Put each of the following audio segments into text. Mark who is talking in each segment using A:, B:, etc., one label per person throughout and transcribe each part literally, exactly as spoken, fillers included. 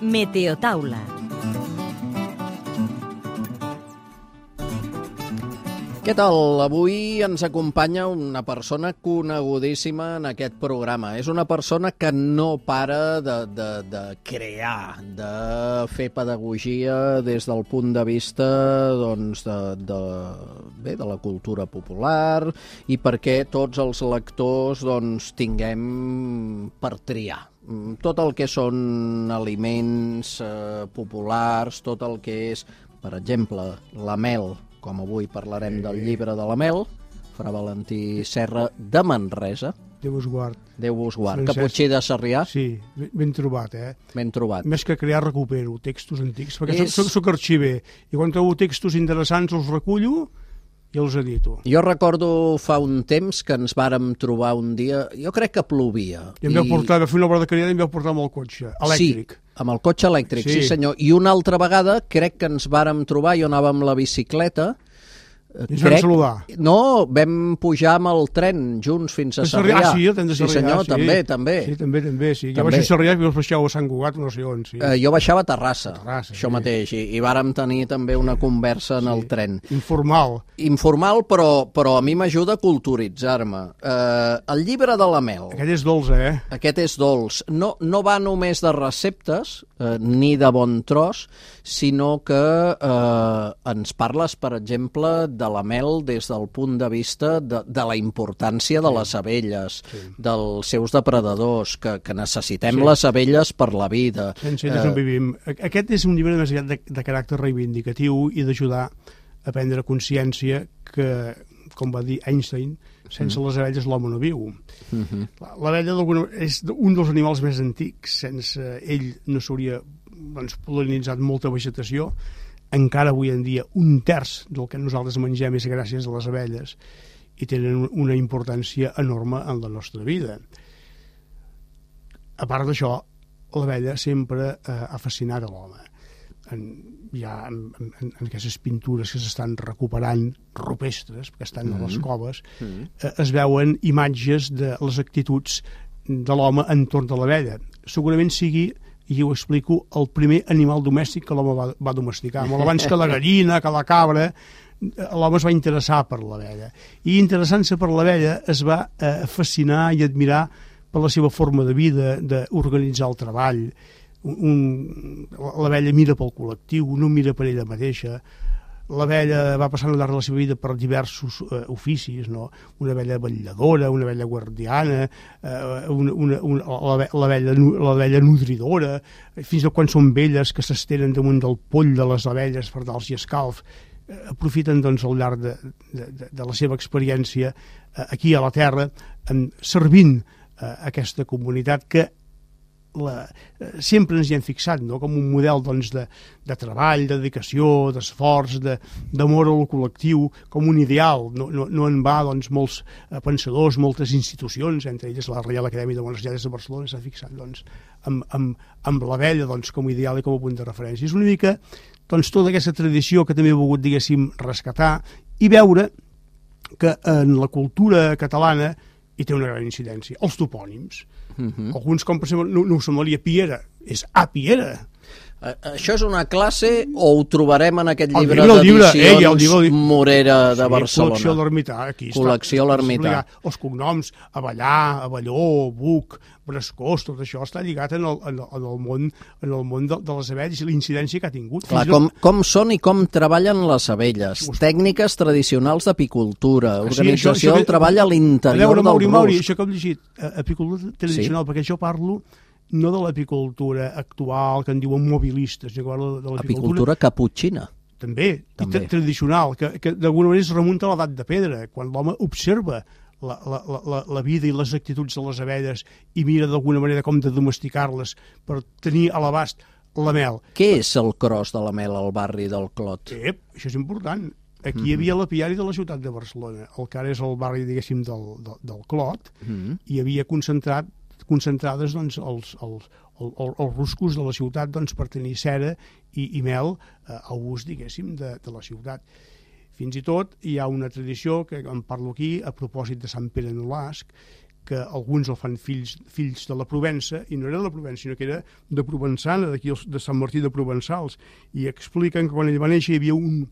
A: Meteotaula.
B: Què tal? Avui ens acompanya una persona conegudíssima en aquest programa. És una persona que no para de, de, de crear, de fer pedagogia des del punt de vista doncs, de, de, bé, de la cultura popular i perquè tots els lectors doncs, tinguem per triar. Tot el que són aliments eh, populars, tot el que és, per exemple, la mel, com avui parlarem del llibre de la mel, Fra Valentí Serra de Manresa.
C: Déu us guard.
B: Déu us guard.
C: Francesc.
B: Caputxí de Sarrià.
C: Sí, ben trobat, eh?
B: Ben trobat.
C: Més que crear, recupero textos antics, perquè
B: És...
C: soc, soc arxiver, i quan trobo textos interessants els recullo i els edito.
B: Jo recordo fa un temps que ens vàrem trobar un dia, jo crec que plovia.
C: I em vau portar, va fer una obra de caridad i em vau portar amb el cotxe, elèctric.
B: Sí, amb el cotxe elèctric, sí. sí senyor. I una altra vegada crec que ens vàrem trobar, jo anava amb la bicicleta,
C: I ens vam saludar.
B: No, vam pujar amb el tren junts fins a Sarrià.
C: Ah, sí, el tren de Sarrià.
B: Sí, senyor,
C: sí.
B: també, també.
C: Sí, també, també, sí. Jo
B: també.
C: baixo a Sarrià i vos baixeu a Sant Cugat, no sé on, sí.
B: Eh, jo baixava a Terrassa,
C: Terrassa
B: això
C: sí.
B: mateix, i, i vàrem tenir també una conversa en
C: sí.
B: el tren.
C: Informal.
B: Informal, però, però a mi m'ajuda a culturitzar-me. Eh, el llibre de la mel.
C: Aquest és dolç, eh?
B: Aquest és dolç. No, no va només de receptes, eh, ni de bon tros, sinó que eh, ens parles, per exemple, de la mel des del punt de vista de, de la importància de les abelles, sí. dels seus depredadors, que, que necessitem sí. les abelles per la vida.
C: Sense elles eh... no vivim. Aquest és un llibre més aviat de, de caràcter reivindicatiu i d'ajudar a prendre consciència que, com va dir Einstein, sense mm. les abelles l'home no viu. Mm -hmm. L'abella és un dels animals més antics. Sense ell no s'hauria doncs, pol·linitzat molta vegetació. Encara avui en dia un terç del que nosaltres mengem és gràcies a les abelles i tenen una importància enorme en la nostra vida. A part d'això, l'abella sempre eh, ha fascinat a l'home. En, ja en, en, en aquestes pintures que s'estan recuperant rupestres, que estan mm-hmm. a les coves, mm-hmm. eh, es veuen imatges de les actituds de l'home entorn de l'abella. Segurament sigui, i ho explico, el primer animal domèstic que l'home va, va domesticar. Molt abans que la gallina, que la cabra, l'home es va interessar per l'abella. I interessant-se per l'abella es va eh, fascinar i admirar per la seva forma de vida, d'organitzar el treball. L'abella mira pel col·lectiu, no mira per ella mateixa. L'abella va passant al llarg de la seva vida per diversos eh, oficis, no? Una abella vetlladora, una abella guardiana, eh, una, una, una, l'abella nodridora, fins a quan són velles que s'estenen damunt del poll de les abelles per dar-los escalf. Eh, aprofiten doncs, al llarg de, de, de la seva experiència eh, aquí a la Terra, eh, servint eh, aquesta comunitat que La, eh, sempre ens hi hem fixat, no? Com un model doncs, de, de treball, de dedicació, d'esforç, d'amor al col·lectiu, com un ideal. No, no, no en va doncs, molts eh, pensadors, moltes institucions, entre elles la Reial Acadèmia de Bones Lletres de Barcelona, s'ha fixat doncs, amb, amb, amb l'abella doncs, com a ideal i com a punt de referència. És una mica doncs, tota aquesta tradició que també he volgut, diguéssim, rescatar i veure que en la cultura catalana hi té una gran incidència. Els topònims. Uh-huh. Alguns, com per exemple, no, no ho semblaria Piera, és a Piera.
B: Uh, això és una classe o ho trobarem en aquest llibre
C: d'edicions
B: eh, Morera de
C: sí,
B: Barcelona?
C: Col·lecció a l'Ermità. Aquí
B: Col·lecció a l'Ermità.
C: Els cognoms, Avellà, Avelló, Buc, Brescós, tot això està lligat en el, en el, en el món, en el món de, de les abelles i la incidència que ha tingut.
B: Clar, com, com són i com treballen les abelles, tècniques tradicionals d'apicultura, organització sí, això, això, del treball a l'interior del rusc.
C: Mauri, això que hem llegit, apicultura tradicional, sí. Perquè jo parlo no de l'apicultura actual, que en diuen mobilistes, de
B: l'apicultura caputxina.
C: També, També. I tradicional, que, que d'alguna manera es remunta a l'edat de pedra, quan l'home observa la, la, la, la vida i les actituds de les abelles i mira d'alguna manera com de domesticar-les per tenir a l'abast la mel.
B: Què és el cros de la mel al barri del Clot?
C: Ep, això és important. Aquí mm-hmm. hi havia l'apiari de la ciutat de Barcelona, el que ara és el barri, diguéssim, del, del, del Clot, mm-hmm. i havia concentrat concentrades doncs, els, els, els, els ruscos de la ciutat doncs, per tenir cera i, i mel eh, a ús, diguéssim, de, de la ciutat. Fins i tot hi ha una tradició, que en parlo aquí, a propòsit de Sant Pere Nolasc, que alguns el fan fills, fills de la Provença, i no era de la Provença, sinó que era de Provençana, d'aquí de Sant Martí de Provençals, i expliquen que quan ell va néixer hi havia un,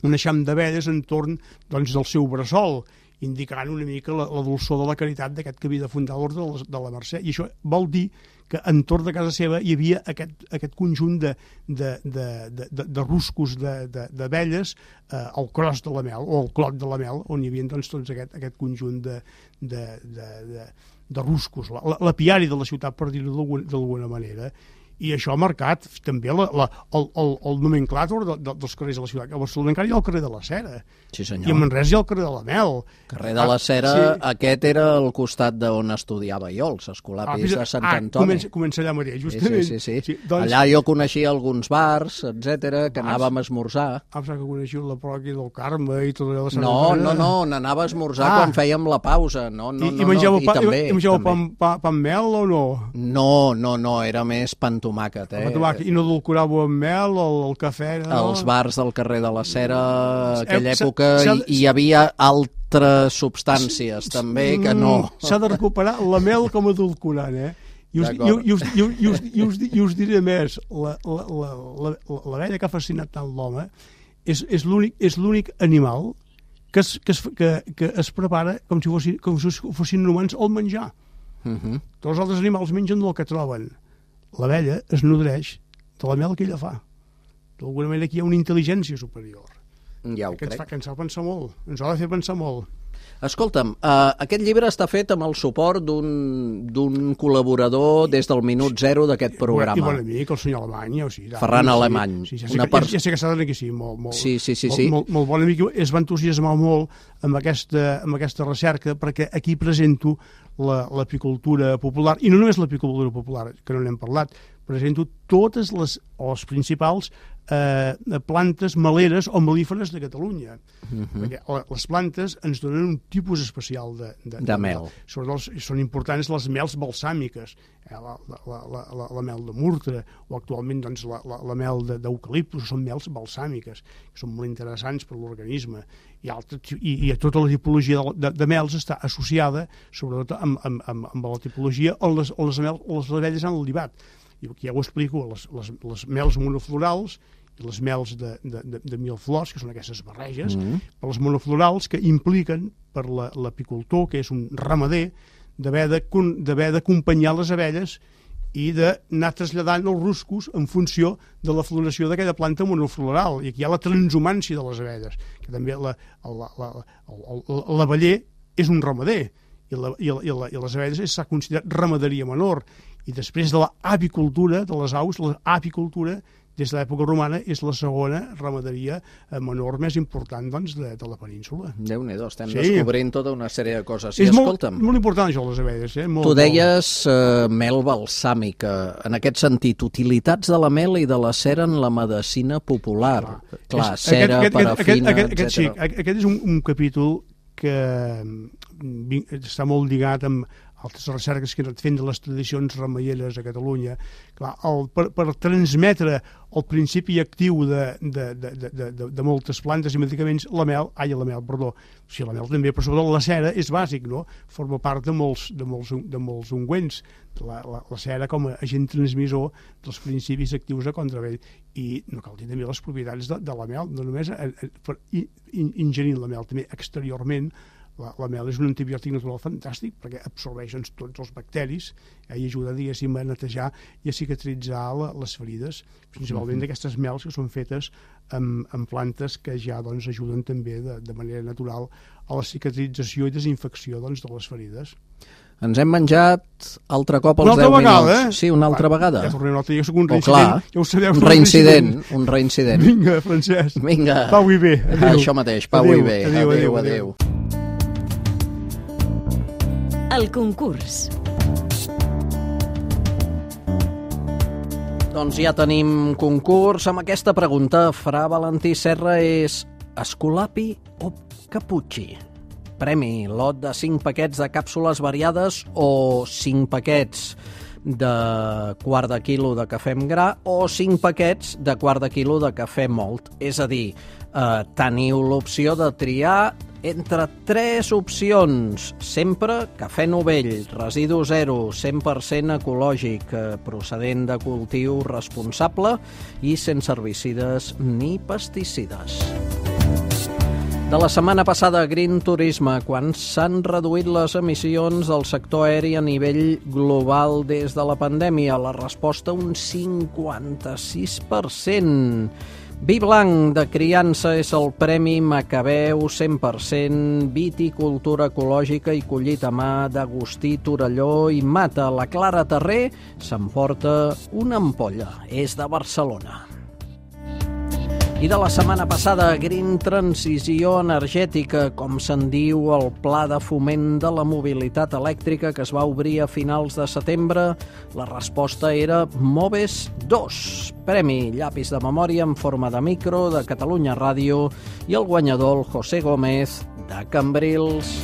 C: un eixam d'abelles entorn doncs, del seu bressol, indicant una mica la, la dolçor de la caritat d'aquest que havia de fundar l'Orde de, de la Mercè. I això vol dir que entorn de casa seva hi havia aquest, aquest conjunt de, de, de, de, de, de ruscos d'abelles eh, al cros de la mel, o al clot de la mel, on hi havia doncs, tots aquest, aquest conjunt de, de, de, de, de ruscos, la, la piari de la ciutat, per dir-ho d'alguna manera. I això ha marcat també la, la, el, el, el nomenclàtor de, de, dels carrers de la ciutat. A Barcelona encara hi ha el carrer de la Cera.
B: Sí, senyor.
C: I a Manresa hi ha el carrer de la Mel.
B: Carrer de la Cera, ah, sí. Aquest era el costat d'on estudiava jo, els escolapis ah, de Sant
C: ah,
B: Antoni.
C: Comença, comença allà mateix, justament.
B: Sí, sí, sí. sí.
C: sí doncs...
B: Allà jo coneixia alguns bars, etcètera, que bars. Anàvem a esmorzar.
C: Ah, que coneixiu la pròquia del Carme i tot allò de Sant
B: No,
C: Antoni.
B: no, no, n'anava a esmorzar ah. quan fèiem la pausa. No, no,
C: I,
B: no,
C: i menjàveu,
B: no, i
C: pa,
B: també,
C: i menjàveu
B: també.
C: pa, pa, pa amb mel o no?
B: No, no, no, era més pa amb tomàquet, eh?
C: I no adulcoràveu amb mel, el, el cafè... No?
B: Els bars del carrer de la Cera, aquella
C: eh,
B: època, hi, hi havia altres substàncies, també, que no.
C: S'ha de recuperar la mel com a edulcorant, eh? I us, i, i, us, i, us, i, us, i, us, i us diré més, la, la, la, la, la vella que ha fascinat tant l'home és, és l'únic animal que es, que, es, que, que es prepara com si fossin, com si fossin humans al menjar. Uh -huh. Tots els altres animals mengen del que troben. La vella es nodreix de la mel que ella fa. D'alguna manera aquí hi ha una intel·ligència superior.
B: Ja ho
C: que ens
B: crec.
C: fa, que ens fa pensar molt, ens ha de fer pensar molt.
B: Escolta'm, uh, aquest llibre està fet amb el suport d'un col·laborador des del minut zero d'aquest programa.
C: I bon amic, el senyor Alemany. O sigui,
B: Ferran sí, Alemany.
C: Sí, sí, ja, sé que, pers... ja, ja sé que s'ha de dir que sí, molt, molt,
B: sí, sí, sí,
C: molt,
B: sí.
C: molt, molt bon amic. Es va entusiasmar molt amb aquesta, amb aquesta recerca, perquè aquí presento l'apicultura popular, i no només l'apicultura popular, que no n'hem parlat, presento totes les, o les principals eh, plantes meleres o melíferes de Catalunya. Uh -huh. Perquè les plantes ens donen un tipus especial de, de,
B: de, de mel. mel.
C: Sobretot són importants les mels balsàmiques, eh, la, la, la, la, la mel de murtre, o actualment doncs, la, la, la mel d'eucaliptus, són mels balsàmiques, que són molt interessants per l'organisme. I, altre, i, i tota la tipologia de, de, de mels està associada, sobretot amb, amb, amb, amb la tipologia on les, on les, mel, on les abelles han libat. I aquí ja ho explico, les, les, les mels monoflorals i les mels de, de, de, de mil flors, que són aquestes barreges, mm -hmm. per les monoflorals, que impliquen per l'apicultor, la, que és un ramader, d'haver d'acompanyar les abelles i d'anar traslladant els ruscos en funció de la floració d'aquella planta monofloral. I aquí hi ha la transhumància de les abelles, que també l'abeller és un ramader, i, la, i, la, i, la, i les abelles s'ha considerat ramaderia menor. I després de l'apicultura, de les aus, l'apicultura, des de l'època romana, és la segona ramaderia menor més important doncs, de, de la península.
B: Déu-n'hi-do, estem sí. descobrint tota una sèrie de coses.
C: Sí, és escolta'm, molt, molt important això, les abelles. Eh? Molt,
B: tu deies uh, mel balsàmica. En aquest sentit, utilitats de la mel i de la cera en la medicina popular. Clar, Clar és, cera, aquest, parafina,
C: aquest, aquest,
B: etcètera.
C: Sí, aquest és un, un capítol que està molt lligat amb altres recerques que he anat fent de les tradicions remeieres a Catalunya. Clar, el, per, per transmetre el principi actiu de, de, de, de, de, de moltes plantes i medicaments, la mel, ai, la mel, perdó, sí, la mel també, però sobretot la cera és bàsic, no? Forma part de molts, de molts, de molts ungüents, la, la, la cera com a agent transmissor dels principis actius de contravell. I no cal dir també les propietats de, de la mel, no només a, a, per in, ingerint la mel, també exteriorment. La, la mel és un antibiòtic natural fantàstic perquè absorbeix doncs, tots els bacteris eh, i ajuda, diguéssim, a netejar i a cicatritzar la, les ferides, principalment d'aquestes mels que són fetes amb, amb plantes que ja doncs, ajuden també de, de manera natural a la cicatrització i desinfecció doncs, de les ferides.
B: Ens hem menjat altre cop els
C: deu minuts. Eh?
B: Sí, una altra Va, vegada.
C: Ja tornem una altra, jo soc un reincident.
B: Oh, clar,
C: ja ho sabeu,
B: un reincident, un reincident.
C: Vinga, Francesc.
B: Vinga.
C: Pau i bé. Adéu.
B: Això mateix, pau
C: adéu,
B: i bé.
C: Adéu, adéu, adéu.
B: adéu.
A: El concurs.
B: Doncs ja tenim concurs amb aquesta pregunta. Fra Valentí Serra és Escolapi o Caputxi? Premi, lot de cinc paquets de càpsules variades o cinc paquets de quart de quilo de cafè amb gra o cinc paquets de quart de quilo de cafè mòlt. És a dir, eh, teniu l'opció de triar entre tres opcions. Sempre cafè novell, residu zero, cent per cent ecològic, procedent de cultiu responsable i sense herbicides ni pesticides. De la setmana passada, Green Turisme, quan s'han reduït les emissions del sector aeri a nivell global des de la pandèmia? La resposta, un cinquanta-sis per cent. Vi blanc de criança és el Premi Macabeu cent per cent, viticultura ecològica i collit a mà d'Agustí Torelló i Mata. La Clara Terrer s'emporta una ampolla. És de Barcelona. I de la setmana passada, Green Transició Energètica, com se'n diu el Pla de Foment de la Mobilitat Elèctrica que es va obrir a finals de setembre. La resposta era Moves dos, premi llapis de memòria en forma de micro de Catalunya Ràdio i el guanyador, el José Gómez, de Cambrils.